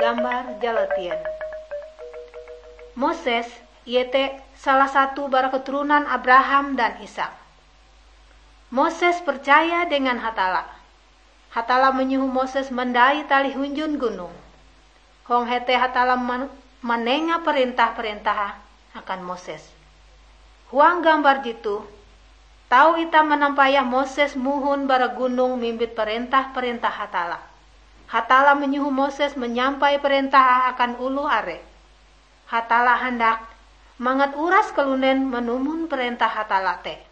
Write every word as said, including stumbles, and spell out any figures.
Gambar jalatien. Moses, iete salah satu bara keturunan Abraham dan Ishak. Moses percaya dengan Hatalla. Hatalla manyoho Moses mandai talih hunjun gunong. Hong hete Hatalla man-, manenga parentah-parentah akan Moses. Huang gambar jetoh, tau itah manampayah Moses mohon bara gunong mimbit parentah-parentah Hatalla. Hatalla manyoho Moses manyampai parentah akan oloh are. Hatalla handak mangat uras kalunen manumon parentah Hatalla te.